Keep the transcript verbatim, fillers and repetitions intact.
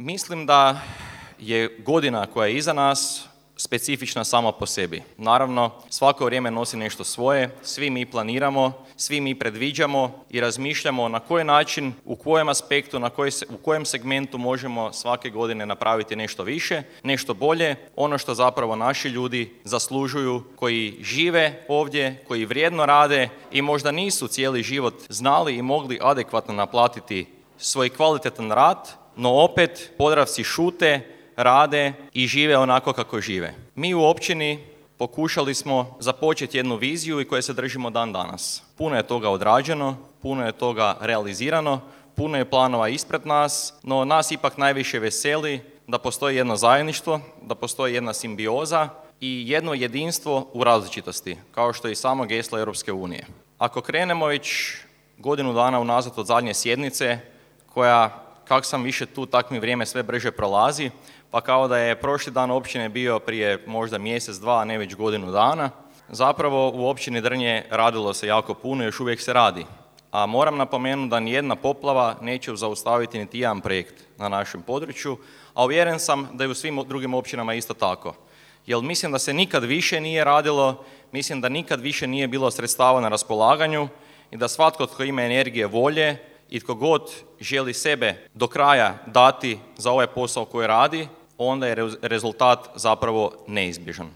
Mislim da je godina koja je iza nas specifična sama po sebi. Naravno, svako vrijeme nosi nešto svoje, svi mi planiramo, svi mi predviđamo i razmišljamo na koji način, u kojem aspektu, na koji, u kojem segmentu možemo svake godine napraviti nešto više, nešto bolje, ono što zapravo naši ljudi zaslužuju, koji žive ovdje, koji vrijedno rade i možda nisu cijeli život znali i mogli adekvatno naplatiti svoj kvalitetan rad, no opet Podravci šute, rade i žive onako kako žive. Mi u općini pokušali smo započeti jednu viziju i koje se držimo dan danas. Puno je toga odrađeno, puno je toga realizirano, puno je planova ispred nas, no nas ipak najviše veseli da postoji jedno zajedništvo, da postoji jedna simbioza i jedno jedinstvo u različitosti, kao što je i samo geslo Europske unije. Ako krenemo već godinu dana unazad od zadnje sjednice, koja, kak sam više tu, tak mi vrijeme sve brže prolazi, pa kao da je prošli dan općine bio prije možda mjesec, dva, a ne već godinu dana. Zapravo u općini Drnje radilo se jako puno i još uvijek se radi. A moram napomenuti da nijedna poplava neće zaustaviti niti jedan projekt na našem području, a uvjeren sam da i u svim drugim općinama isto tako. Jer mislim da se nikad više nije radilo, mislim da nikad više nije bilo sredstava na raspolaganju i da svatko tko ima energije, volje i tko god želi sebe do kraja dati za ovaj posao koji radi, onda je rezultat zapravo neizbježan.